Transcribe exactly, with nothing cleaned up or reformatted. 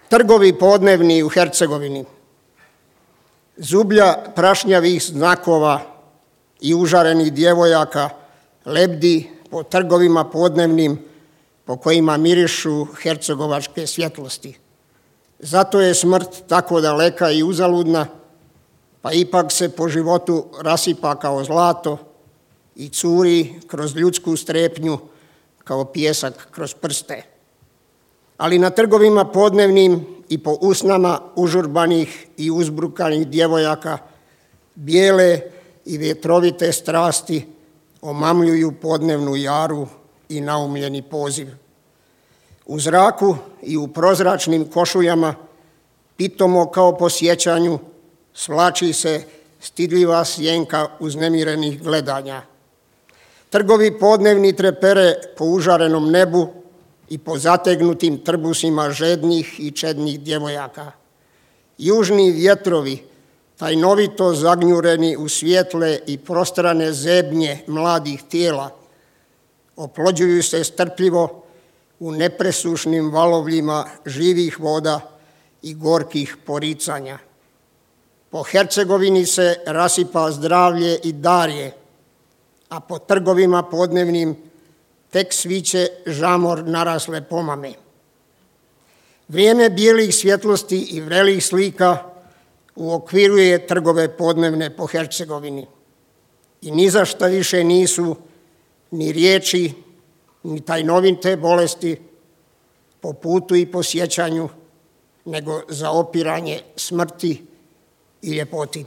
Trgovi podnevni u Hercegovini. Zublja prašnjavih znakova i užarenih djevojaka lebdi po trgovima podnevnim po kojima mirišu hercegovačke svjetlosti. Zato je smrt tako daleka i uzaludna, pa ipak se po životu rasipa kao zlato i curi kroz ljudsku strepnju kao pijesak kroz prste. Ali na trgovima podnevnim i po usnama užurbanih i uzbrukanih djevojaka bijele i vjetrovite strasti omamljuju podnevnu jaru i naumljeni poziv. U zraku i u prozračnim košuljama, pitomo kao po sjećanju, svlači se stidljiva sjenka uznemirenih gledanja. Trgovi podnevni trepere po užarenom nebu i po zategnutim trbusima žednih i čednih djevojaka. Južni vjetrovi, tajnovito zagnjureni u svijetle i prostrane zebnje mladih tijela, oplođuju se strpljivo u nepresušnim valovljima živih voda i gorkih poricanja. Po Hercegovini se rasipa zdravlje i darje, a po trgovima podnevnim tek sviće žamor narasle pomame. Vrijeme bijelih svjetlosti i vrelih slika uokviruje trgove podnevne po Hercegovini i ni za šta više nisu ni riječi, ni tajnovite bolesti po putu i po sjećanju, nego za opiranje smrti i ljepoti.